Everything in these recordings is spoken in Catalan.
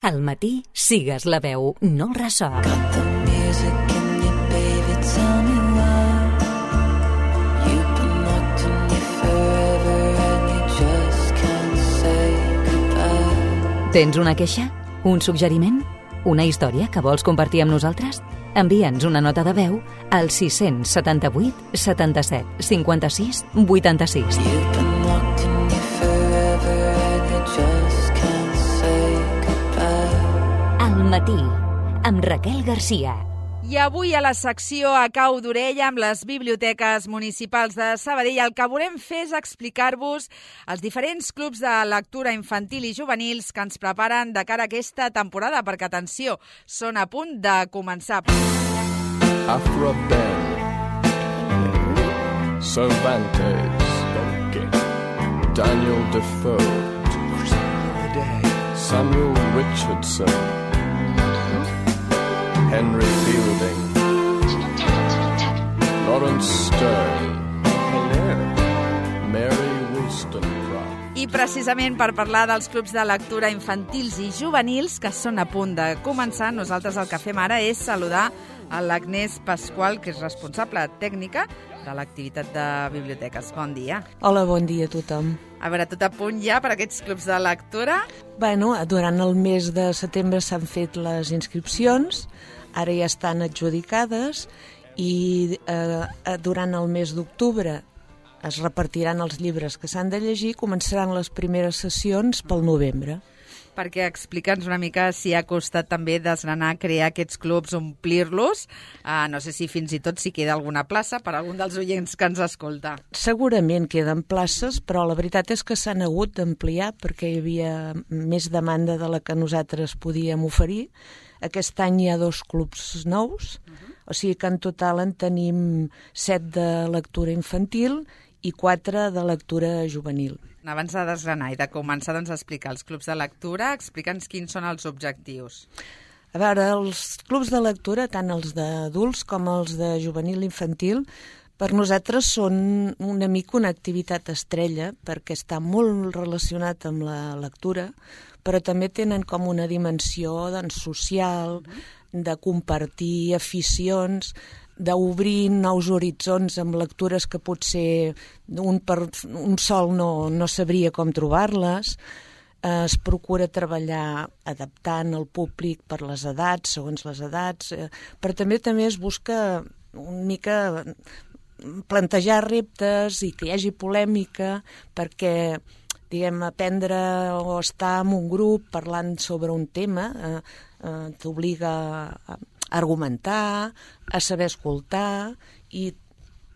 Al matí, sigues la veu, no el ressò. Got the music in you, baby, tell me why. You've been locked in you forever and you just can't say goodbye. Tens una queixa? Un suggeriment? Una història que vols compartir amb nosaltres? Envia'ns una nota de veu al 678 77 56 86. You've been locked in you forever and you just can't say goodbye. Al matí, amb Raquel Garcia. I avui a la secció A cau d'orella amb les biblioteques municipals de Sabadell el que volem fer és explicar-vos els diferents clubs de lectura infantil i juvenils que ens preparen de cara a aquesta temporada, perquè, atenció, són a punt de començar. Afra Ben, Cervantes, Daniel Defoe, Samuel Richardson, Henry Fielding, Lawrence Stern, Mary Wollstonecraft. I precisament per parlar dels clubs de lectura infantils i juvenils que són a punt de començar, nosaltres el que fem ara és saludar a l'Agnès Pasqual, que és responsable tècnica de l'activitat de biblioteques. Bon dia. Hola, bon dia a tothom. A veure, tot a punt ja per aquests clubs de lectura? Bueno, durant el mes de setembre s'han fet les inscripcions, ara ja estan adjudicades i durant el mes d'octubre es repartiran els llibres que s'han de llegir, començaran les primeres sessions pel novembre. Perquè explica'ns una mica si ha costat també desgranar, crear aquests clubs, omplir-los. No sé si fins i tot si queda alguna plaça per a algun dels oients que ens escolta. Segurament queden places, però la veritat és que s'han hagut d'ampliar perquè hi havia més demanda de la que nosaltres podíem oferir. Aquest any hi ha 2 clubs nous, o sigui que en total en tenim 7 de lectura infantil i 4 de lectura juvenil. Abans de desgranar i de començar a explicar els clubs de lectura, explica'ns quins són els objectius. A veure, els clubs de lectura, tant els d'adults com els de juvenil i infantil, per nosaltres són una mica una activitat estrella perquè està molt relacionat amb la lectura, però també tenen com una dimensió social, de compartir aficions, d'obrir nous horitzons amb lectures que potser un sol no sabria com trobar-les. Es procura treballar adaptant el públic per les edats, segons les edats, però també es busca una mica plantejar reptes i que hi hagi polèmica perquè, diguem, aprendre o estar en un grup parlant sobre un tema t'obliga a argumentar, a saber escoltar i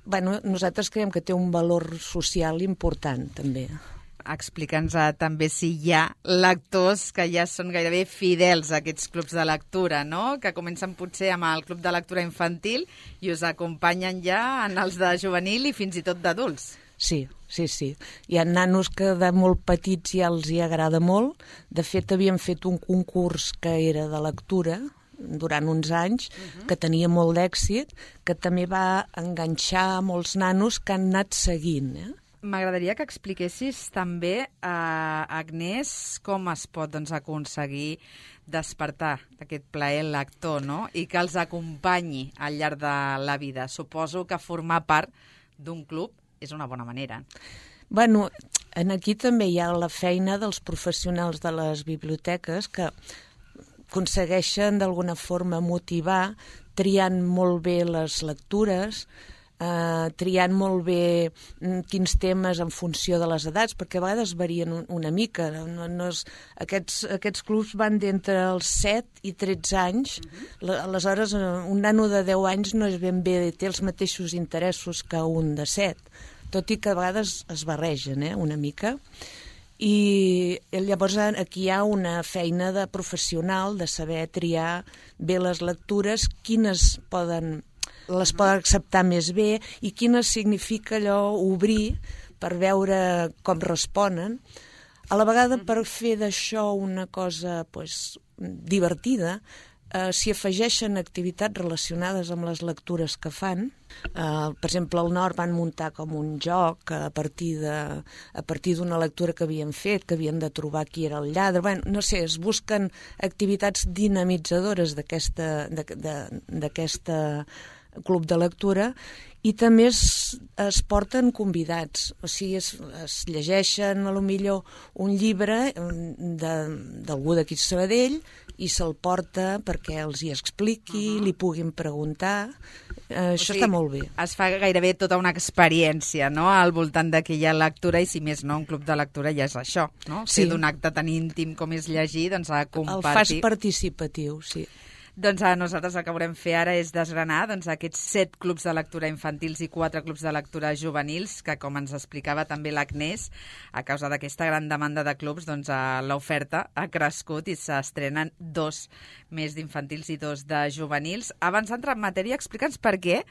nosaltres creiem que té un valor social important també. Explica'ns també si hi ha lectors que ja són gairebé fidels a aquests clubs de lectura, no? Que comencen potser amb el club de lectura infantil i us acompanyen ja en els de juvenil i fins i tot d'adults. Sí. Hi ha nanos que de molt petits ja els hi agrada molt. De fet, havíem fet un concurs que era de lectura durant uns anys, que tenia molt d'èxit, que també va enganxar molts nanos que han anat seguint. M'agradaria que expliquessis també, Agnès, com es pot aconseguir despertar aquest plaer lector, no? I que els acompanyi al llarg de la vida. Suposo que formar part d'un club és una bona manera. Bueno, aquí també hi ha la feina dels professionals de les biblioteques que aconsegueixen d'alguna forma motivar, triant molt bé les lectures, triant molt bé quins temes en funció de les edats, perquè a vegades varien una mica. Aquests clubs van d'entre els 7 i 13 anys. Aleshores, un nano de 10 anys no és ben bé, té els mateixos interessos que un de 7, tot i que a vegades es barregen una mica. I llavors aquí hi ha una feina de professional de saber triar bé les lectures, quines les poden acceptar més bé i quines significa allò obrir per veure com responen. A la vegada, per fer d'això una cosa divertida, s'hi afegeixen activitats relacionades amb les lectures que fan. Per exemple, al Nord van muntar com un joc a partir d'una lectura que havien fet, que havien de trobar qui era el lladre. Bé, no sé, es busquen activitats dinamitzadores d'aquest club de lectura, i també es porten convidats, o sigui, es llegeixen a lo millor un llibre d'algú d'aquí de Sabadell i se'l porta perquè els hi expliqui, li puguin preguntar. Això està molt bé. Es fa gairebé tota una experiència, no?, al voltant d'aquella lectura, i si més no, un club de lectura ja és això, no? Sí. Ser d'un acte tan íntim com és llegir, doncs a compartir. El fas participatiu, sí. Doncs nosaltres el que volem fer ara és desgranar aquests 7 clubs de lectura infantils i 4 clubs de lectura juvenils, que, com ens explicava també l'Agnès, a causa d'aquesta gran demanda de clubs, doncs l'oferta ha crescut i s'estrenen 2 més d'infantils i 2 de juvenils. Abans d'entrar en matèria, explica'ns per què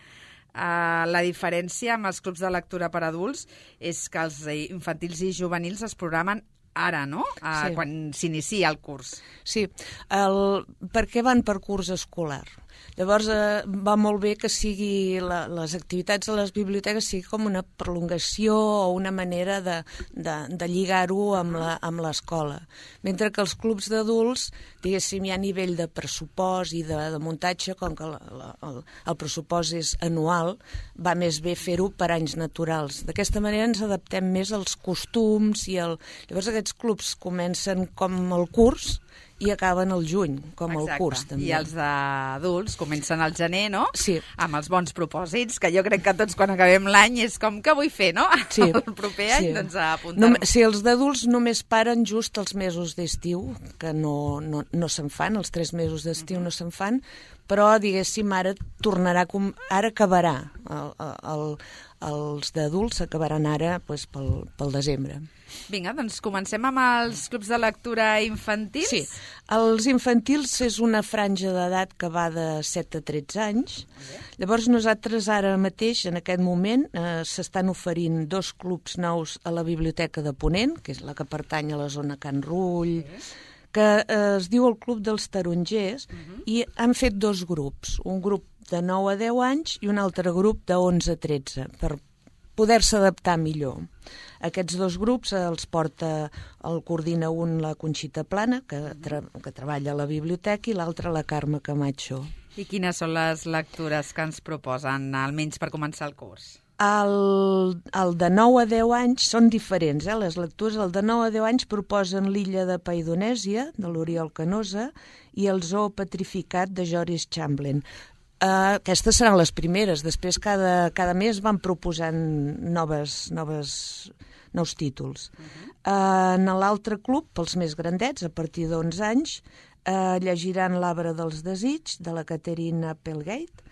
la diferència amb els clubs de lectura per adults és que els infantils i juvenils es programen ara, no? Sí. Quan s'inicia el curs. Sí, perquè van per curs escolar. Llavors va molt bé que sigui les activitats de les biblioteques sigui com una prolongació o una manera de lligar-ho amb l'escola. Mentre que els clubs d'adults, diguéssim, hi ha nivell de pressupost i de muntatge, com que el pressupost és anual, va més bé fer-ho per anys naturals. D'aquesta manera ens adaptem més als costums i llavors aquests clubs comencen com el curs i acaben al juny, com el curs, també. I els d'adults comencen al gener, no? Sí. Amb els bons propòsits, que jo crec que tots quan acabem l'any és com que vull fer, no? Sí. El proper any, doncs a apuntar-ho. Sí, els d'adults només paren just els mesos d'estiu, que no se'n fan, els 3 mesos d'estiu no se'n fan, però, diguéssim, ara acabarà. Els d'adults acabaran ara pel desembre. Vinga, doncs comencem amb els clubs de lectura infantils. Sí, els infantils és una franja d'edat que va de 7 a 13 anys. Llavors nosaltres ara mateix, en aquest moment, s'estan oferint 2 clubs nous a la Biblioteca de Ponent, que és la que pertany a la zona Can Rull, que es diu el Club dels Tarongers, i han fet 2 grups, un grup de 9 a 10 anys i un altre grup de 11 a 13, per poder-se adaptar millor. Aquests 2 grups el coordina un la Conxita Plana, que treballa a la biblioteca, i l'altre la Carme Camacho. I quines són les lectures que ens proposen, almenys per començar el curs? El de 9 a 10 anys són diferents, les lectures. El de 9 a 10 anys proposen L'illa de Paidonèsia, de l'Oriol Canosa, i El zoo petrificat, de Joris Chamberlain. Aquestes seran les primeres. Després, cada mes van proposant nous títols. En l'altre club, pels més grandets, a partir d'11 anys, llegiran L'Arbre dels Desigs, de la Caterina Applegate,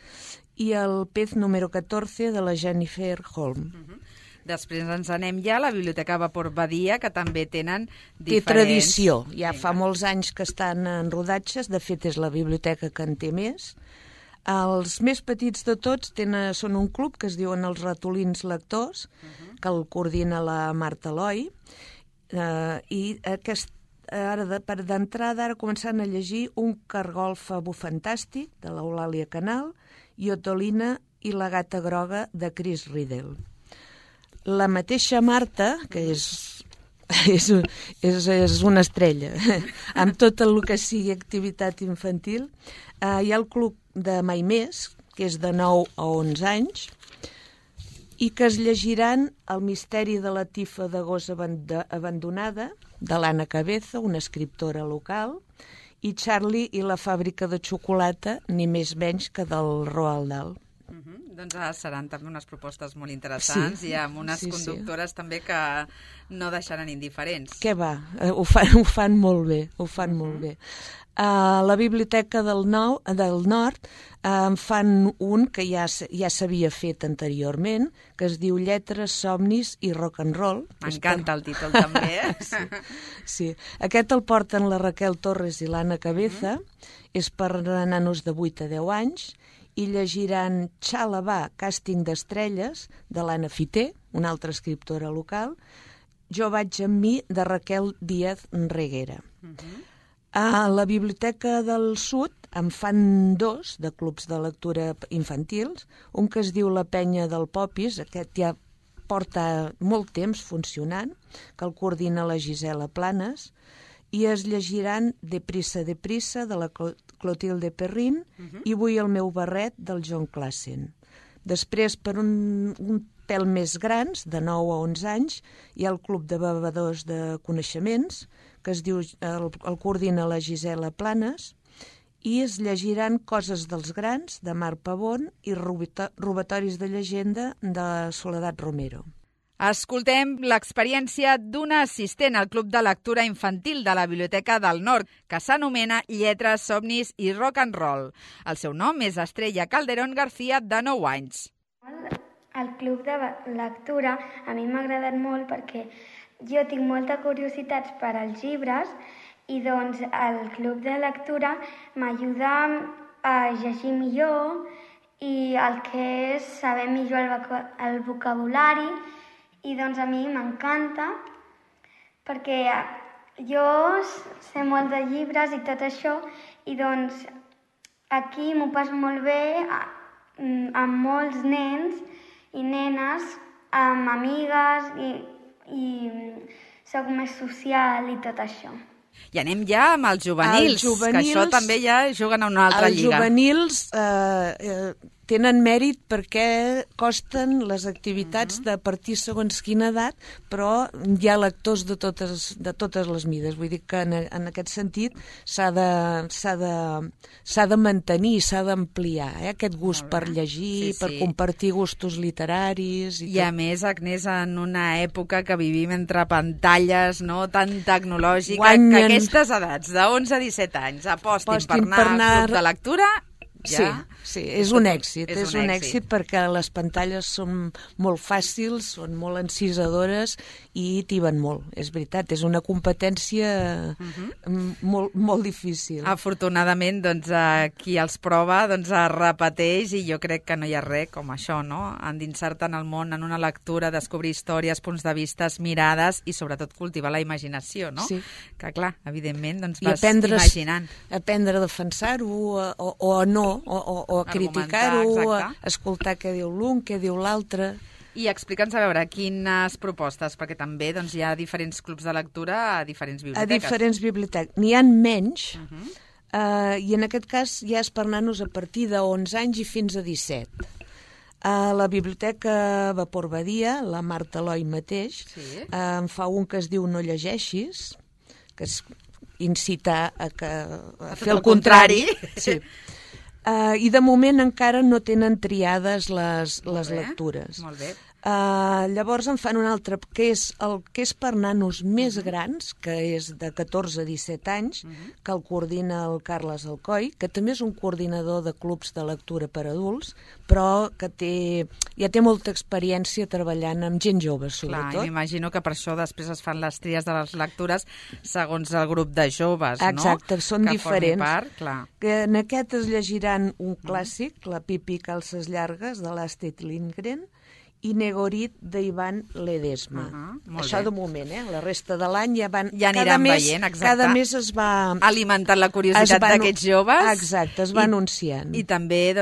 i El pez número 14, de la Jennifer Holm. Després ens anem ja a la Biblioteca Vapor Badia, que també tenen diferents... Té tradició. Ja fa molts anys que estan en rodatges. De fet, és la biblioteca que en té més. Els més petits de tots són un club que es diuen els Ratolins Lectors, que el coordina la Marta Eloi, i d'entrada ara començant a llegir Un cargol fabú fantàstic, de l'Eulàlia Canal, i Otolina i la gata groga, de Chris Riddell. La mateixa Marta, que és una estrella, amb tot el que sigui activitat infantil, hi ha el club de Mai Més, que és de 9 a 11 anys, i que es llegiran El misteri de la tifa de gos abandonada, de l'Anna Cabeza, una escriptora local, i Charlie i la fàbrica de xocolata, ni més menys que del Roald Dahl. Doncs seran també unes propostes molt interessants, i amb unes conductores també que no deixaran indiferents. Què va? Ho fan molt bé, molt bé. A la Biblioteca del Nord en fan un que ja s'havia fet anteriorment, que es diu Lletres, somnis i rock and roll. M'encanta el títol també. Sí. Aquest el porten la Raquel Torres i l'Anna Cabeza, és per nanos de 8 a 10 anys, i llegiran Xalabà, càsting d'estrelles, de l'Anna Fité, una altra escriptora local, Jo vaig amb mi, de Raquel Díaz Reguera. A la Biblioteca del Sud En fan 2 de clubs de lectura infantils, un que es diu La Penya del Popis, aquest ja porta molt temps funcionant, que el coordina la Gisela Planes, i es llegiran Deprisa, deprisa, de la Clotilde Perrin, i Vull el meu barret, del John Classen. Després, per un pèl més grans, de 9 a 11 anys, hi ha el Club de Bevedors de Coneixements, que es diu, el coordina la Gisela Planes, i es llegiran Coses dels grans, de Marc Pavón, i Robatoris de llegenda, de Soledad Romero. Escoltem l'experiència d'una assistent al Club de Lectura Infantil de la Biblioteca del Nord, que s'anomena Lletres, Somnis i Rock and Roll. El seu nom és Estrella Calderón García, de 9 anys. El Club de Lectura a mi m'ha agradat molt perquè jo tinc molta curiositat per als llibres i doncs el Club de Lectura m'ajuda a llegir millor i el que és saber millor el vocabulari. I doncs a mi m'encanta perquè jo sé molt de llibres i tot això i doncs aquí m'ho passo molt bé amb molts nens i nenes, amb amigues i soc més social i tot això. I anem ja amb els juvenils, que això també ja juguen a una altra lliga. Els juvenils tenen mèrit perquè costen les activitats de partir segons quina edat, però hi ha lectors de totes les mides. Vull dir que en aquest sentit s'ha de mantenir, s'ha d'ampliar aquest gust per llegir, per compartir gustos literaris. I a més, Agnès, en una època que vivim entre pantalles, no tan tecnològica, que aquestes edats, de 11 a 17 anys, apostin per anar al club de lectura... Ja. Sí, és un èxit. És un èxit perquè les pantalles són molt fàcils, són molt encisadores i tiben molt. És veritat, és una competència molt difícil. Afortunadament, doncs, qui els prova es repeteix i jo crec que no hi ha res com això, no? Endinsar-te en el món, en una lectura, descobrir històries, punts de vista, mirades i sobretot cultivar la imaginació, no? Sí. Que clar, evidentment, doncs vas imaginant. Aprendre a defensar-ho o no, o a criticar-ho, a escoltar què diu l'un, què diu l'altre. I explica'ns, a veure, quines propostes, perquè també doncs, hi ha diferents clubs de lectura a diferents biblioteques. A diferents biblioteques. N'hi ha menys, i en aquest cas ja és per nanos a partir de 11 anys i fins a 17. A la biblioteca Vapor Badia, la Marta Eloi mateix, en fa un que es diu No llegeixis, que és incitar a fer el contrari. Sí. I de moment encara no tenen triades les lectures. Molt bé. Llavors en fan un altre, que és el que és per nanos més grans, que és de 14 a 17 anys, que el coordina el Carles Alcoi, que també és un coordinador de clubs de lectura per adults, però que ja té molta experiència treballant amb gent jove, sobretot. Clar, m'imagino que per això després es fan les tries de les lectures segons el grup de joves, no? Exacte, són diferents. Part, clar. Que en aquest es llegiran un clàssic, La Pipi Calces Llargues, de l'Astrid Lindgren, i Negorit d'Ivan Ledesma. Això de moment, La resta de l'any ja aniran veient, exacte. Cada mes es va... alimentant la curiositat d'aquests joves. Exacte, es va anunciant. I també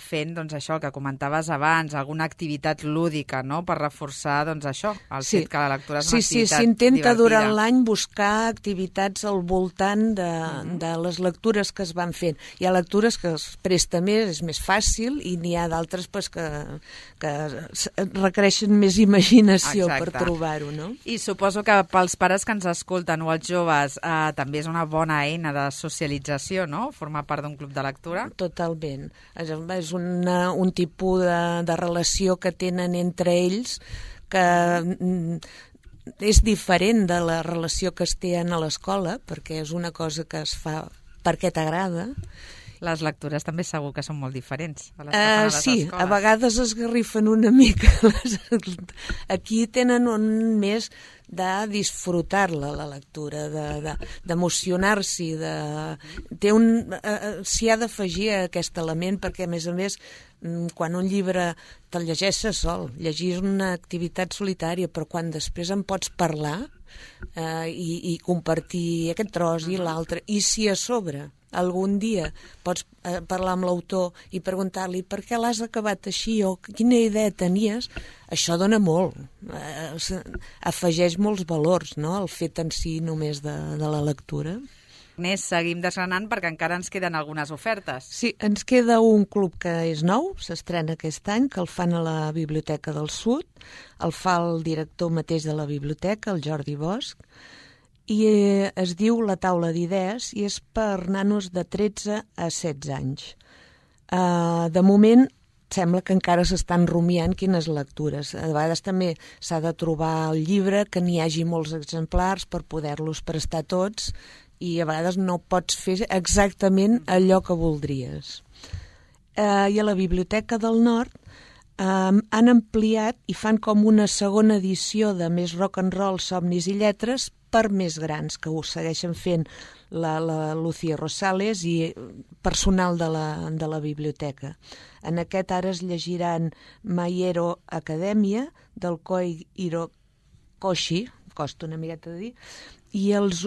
fent això que comentaves abans, alguna activitat lúdica, no?, per reforçar això, el fet que la lectura és una activitat divertida. Sí, s'intenta durant l'any buscar activitats al voltant de les lectures que es van fent. Hi ha lectures que es presta més, és més fàcil, i n'hi ha d'altres que requereixen més imaginació per trobar-ho, no? I suposo que pels pares que ens escolten o els joves també és una bona eina de socialització, no?, formar part d'un club de lectura. Totalment. És un tipus de relació que tenen entre ells que és diferent de la relació que es té a l'escola, perquè és una cosa que es fa perquè t'agrada. Les lectures també segur que són molt diferents a les que fan a les escoles. A vegades esgarrifen una mica. Aquí tenen un més de disfrutar-la, la lectura, d'emocionar-s'hi. S'hi ha d'afegir aquest element perquè, a més, quan un llibre te'l llegeixes sol, llegir és una activitat solitària, però quan després en pots parlar i compartir aquest tros i l'altre, i si a sobre algun dia pots parlar amb l'autor i preguntar-li per què l'has acabat així o quina idea tenies, això dona molt, afegeix molts valors, no?, el fet en si només de la lectura. Agnès, seguim desgranant perquè encara ens queden algunes ofertes. Sí, ens queda un club que és nou, s'estrena aquest any, que el fan a la Biblioteca del Sud, el fa el director mateix de la biblioteca, el Jordi Bosch, i es diu La Taula d'Idees i és per nanos de 13 a 16 anys. De moment, sembla que encara s'estan rumiant quines lectures. A vegades també s'ha de trobar el llibre, que n'hi hagi molts exemplars per poder-los prestar tots, i a vegades no pots fer exactament allò que voldries. I a la Biblioteca del Nord han ampliat i fan com una segona edició de Més rock and roll, somnis i lletres per més grans, que ho segueixen fent la Lucía Rosales i personal de la biblioteca. En aquest ara es llegiran My Acadèmia, del Koi Hirokoshi, costa una miqueta de dir, i els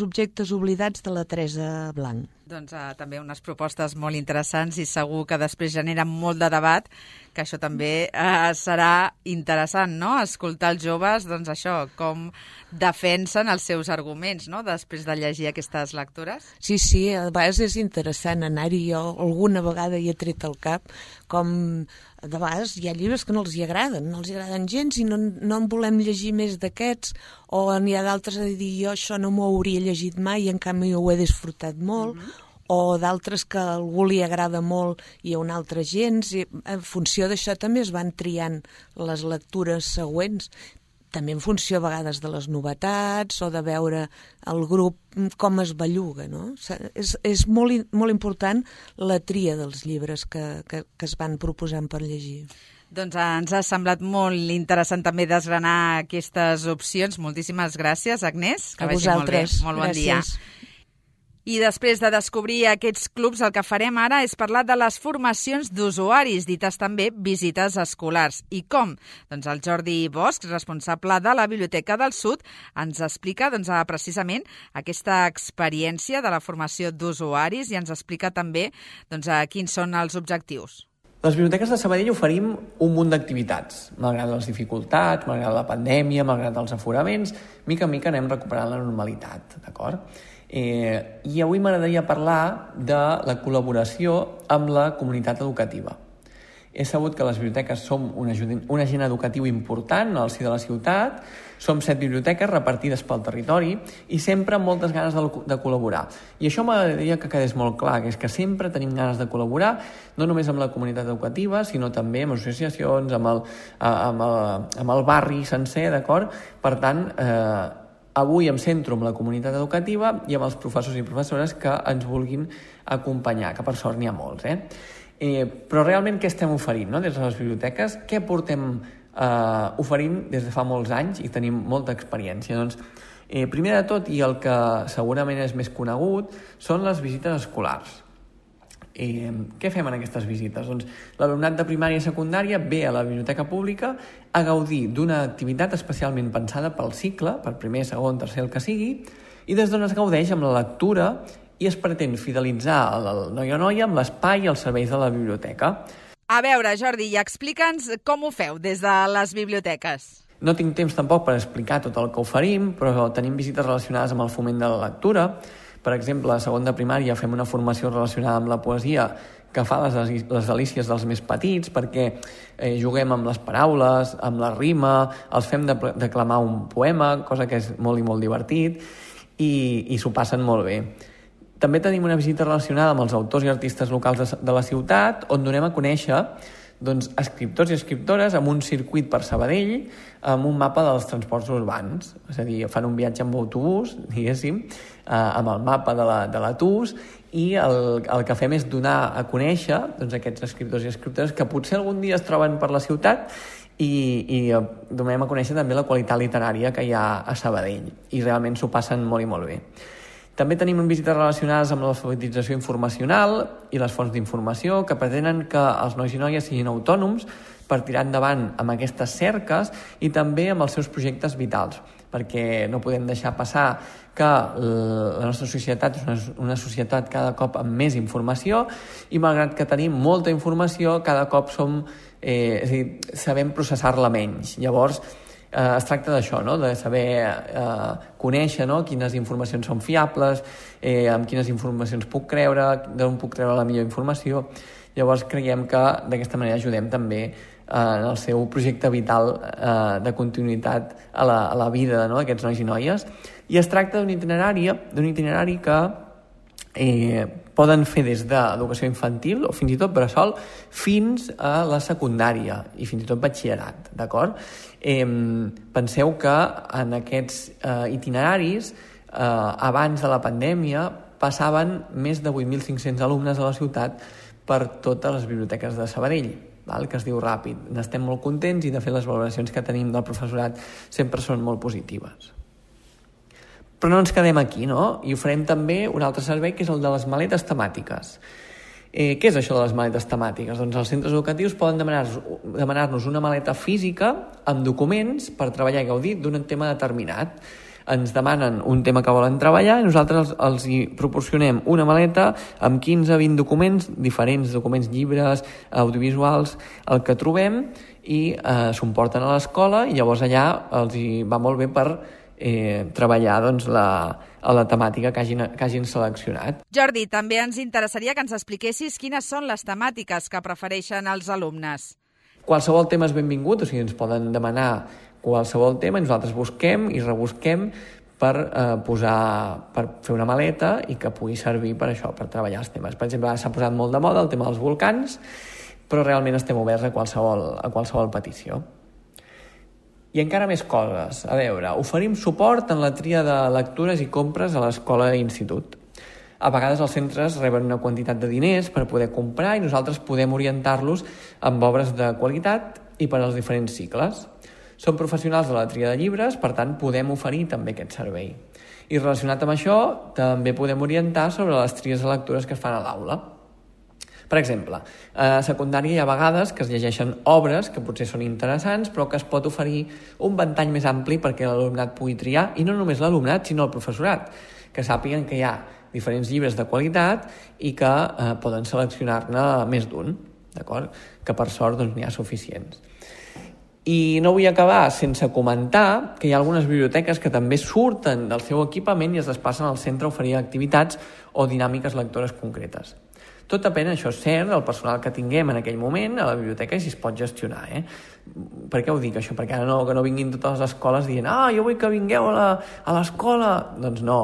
objectes oblidats de la Teresa Blanc. Doncs també unes propostes molt interessants i segur que després generen molt de debat, que això també serà interessant, no?, escoltar els joves, doncs això, com defensen els seus arguments, no?, després de llegir aquestes lectures. Sí, a vegades és interessant anar-hi. Jo alguna vegada hi he tret al cap, com de vegades hi ha llibres que no els agraden gens i no en volem llegir més d'aquests, o n'hi ha d'altres a dir, jo això no m'ho hauria llegit mai i en canvi ho he disfrutat molt, o d'altres que a algú li agrada molt i a un altre gens, i en funció d'això també es van triant les lectures següents, també en funció a vegades de les novetats o de veure el grup com es belluga, no? És molt important la tria dels llibres que es van proposant per llegir. Doncs ens ha semblat molt interessant també desgranar aquestes opcions. Moltíssimes gràcies, Agnès. A vosaltres. Molt bon dia. Gràcies. I després de descobrir aquests clubs, el que farem ara és parlar de les formacions d'usuaris, dites també visites escolars. I com? Doncs el Jordi Bosch, responsable de la Biblioteca del Sud, ens explica precisament aquesta experiència de la formació d'usuaris i ens explica també quins són els objectius. Les biblioteques de Sabadell oferim un munt d'activitats. Malgrat les dificultats, malgrat la pandèmia, malgrat els aforaments, mica en mica anem recuperant la normalitat, d'acord? I avui m'agradaria parlar de la col·laboració amb la comunitat educativa. He sabut que les biblioteques som un agent educatiu important al si de la ciutat, som 7 biblioteques repartides pel territori i sempre amb moltes ganes de col·laborar. I això m'agradaria que quedés molt clar, que és que sempre tenim ganes de col·laborar, no només amb la comunitat educativa, sinó també amb associacions, amb el barri sencer, d'acord? Per tant, avui em centro en la comunitat educativa i amb els professors i professores que ens vulguin acompanyar, que per sort n'hi ha molts, però realment què estem oferint, no? Des de les biblioteques, què portem oferint des de fa molts anys i tenim molta experiència? Doncs, primer de tot, i el que segurament és més conegut, són les visites escolars. Què fem en aquestes visites? Doncs l'alumnat de primària i secundària ve a la biblioteca pública a gaudir d'una activitat especialment pensada pel cicle, per primer, segon, tercer, el que sigui, i des d'on es gaudeix amb la lectura i es pretén fidelitzar el noi o noia amb l'espai i els serveis de la biblioteca. A veure, Jordi, i explica'ns com ho feu des de les biblioteques. No tinc temps tampoc per explicar tot el que oferim, però tenim visites relacionades amb el foment de la lectura. Per exemple, a segon de primària fem una formació relacionada amb la poesia que fa les delícies dels més petits, perquè juguem amb les paraules, amb la rima, els fem declamar un poema, cosa que és molt i molt divertit, i s'ho passen molt bé. També tenim una visita relacionada amb els autors i artistes locals de la ciutat, on donem a conèixer escriptors i escriptores amb un circuit per Sabadell, amb un mapa dels transports urbans. És a dir, fan un viatge amb autobús, diguéssim, amb el mapa de l'ATUS, i el que fem és donar a conèixer aquests escriptors i escriptores que potser algun dia es troben per la ciutat i donem a conèixer també la qualitat literària que hi ha a Sabadell. I realment s'ho passen molt i molt bé. També tenim visites relacionades amb l'alfabetització informacional i les fonts d'informació que pretenen que els nois i noies siguin autònoms per tirar endavant amb aquestes cerques i també amb els seus projectes vitals. perquè no podem deixar passar que la nostra societat és una societat cada cop amb més informació i malgrat que tenim molta informació, cada cop és a dir, sabem processar-la menys. Llavors, es tracta d'això, no? De saber conèixer, no? Quines informacions són fiables, amb quines informacions puc creure, d'on puc treure la millor informació. Llavors creiem que d'aquesta manera ajudem també en el seu projecte vital de continuïtat a la vida, no? D'aquests nois i noies. I es tracta d'un itinerari que poden fer des d'educació infantil o fins i tot bressol fins a la secundària i fins i tot batxillerat, d'acord? Penseu que en aquests itineraris abans de la pandèmia passaven més de 8.500 alumnes a la ciutat per totes les biblioteques de Sabadell, que es diu ràpid. N'estem molt contents i de fet les valoracions que tenim del professorat sempre són molt positives. Però no ens quedem aquí, no? I oferim també un altre servei que és el de les maletes temàtiques. Què és això de les maletes temàtiques? Doncs els centres educatius poden demanar-nos una maleta física amb documents per treballar i gaudir d'un tema determinat. Ens demanen un tema que volen treballar i nosaltres els hi proporcionem una maleta amb 15-20 documents, diferents documents, llibres, audiovisuals, el que trobem i s'ho porten a l'escola i llavors allà els hi va molt bé per treballar doncs, la temàtica que hagin seleccionat. Jordi, també ens interessaria que ens expliquessis quines són les temàtiques que prefereixen els alumnes. Qualsevol tema és benvingut, o sigui, ens poden demanar qualsevol tema i nosaltres busquem i rebusquem per fer una maleta i que pugui servir per això, per treballar els temes. Per exemple, s'ha posat molt de moda el tema dels volcans, però realment estem oberts a qualsevol petició. I encara més coses. A veure, oferim suport en la tria de lectures i compres a l'escola i institut. A vegades els centres reben una quantitat de diners per poder comprar i nosaltres podem orientar-los amb obres de qualitat i per als diferents cicles. Som professionals de la tria de llibres, per tant podem oferir també aquest servei. I relacionat amb això, també podem orientar sobre les tries de lectures que es fan a l'aula. Per exemple, a secundària hi ha vegades que es llegeixen obres que potser són interessants però que es pot oferir un ventall més ampli perquè l'alumnat pugui triar, i no només l'alumnat sinó el professorat, que sàpiguen que hi ha diferents llibres de qualitat i que poden seleccionar-ne més d'un, d'acord? Que per sort doncs, n'hi ha suficients. I no vull acabar sense comentar que hi ha algunes biblioteques que també surten del seu equipament i es desplacen al centre a oferir activitats o dinàmiques lectores concretes. Tot depèn, això és cert, del personal que tinguem en aquell moment a la biblioteca i si es pot gestionar. Per què ho dic, això? Perquè ara que no vinguin totes les escoles dient jo vull que vingueu a l'escola. Doncs no.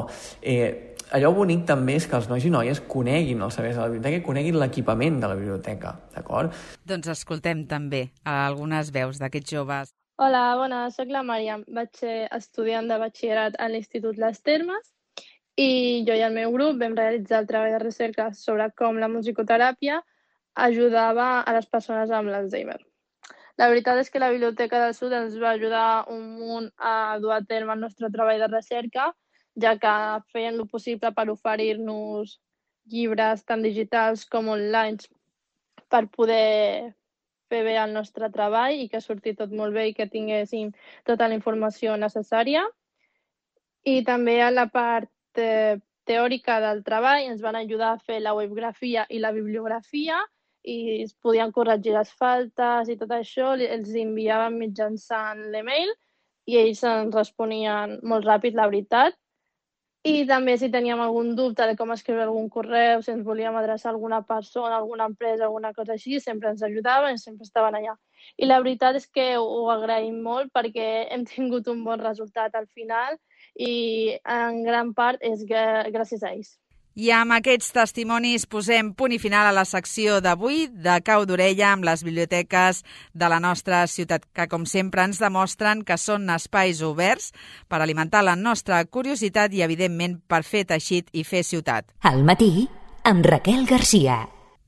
Allò bonic també és que els nois i noies coneguin els serveis de la biblioteca i coneguin l'equipament de la biblioteca, d'acord? Doncs escoltem també algunes veus d'aquests joves. Hola, bona, soc la Màriam. Vaig ser estudiant de batxillerat a l'Institut Les Termes i jo i el meu grup vam realitzar el treball de recerca sobre com la musicoteràpia ajudava a les persones amb l'Alzheimer. La veritat és que la Biblioteca del Sud ens va ajudar un munt a dur a terme el nostre treball de recerca, ja que feien el possible per oferir-nos llibres tant digitals com online per poder fer bé el nostre treball i que surti tot molt bé i que tinguéssim tota la informació necessària. I també a la part teòrica del treball ens van ajudar a fer la webgrafia i la bibliografia i es podien corregir les faltes i tot això, els enviàvem mitjançant l'email i ells ens responien molt ràpid, la veritat. I també si teníem algun dubte de com escriure algun correu, si ens volíem adreçar a alguna persona, alguna empresa, alguna cosa així, sempre ens ajudaven i sempre estaven allà. I la veritat és que ho agraïm molt perquè hem tingut un bon resultat al final i en gran part és gràcies a ells. I amb aquests testimonis posem punt i final a la secció d'avui de Cau d'Orella amb les biblioteques de la nostra ciutat, que com sempre ens demostren que són espais oberts per alimentar la nostra curiositat i, evidentment, per fer teixit i fer ciutat. Al matí, amb Raquel Garcia.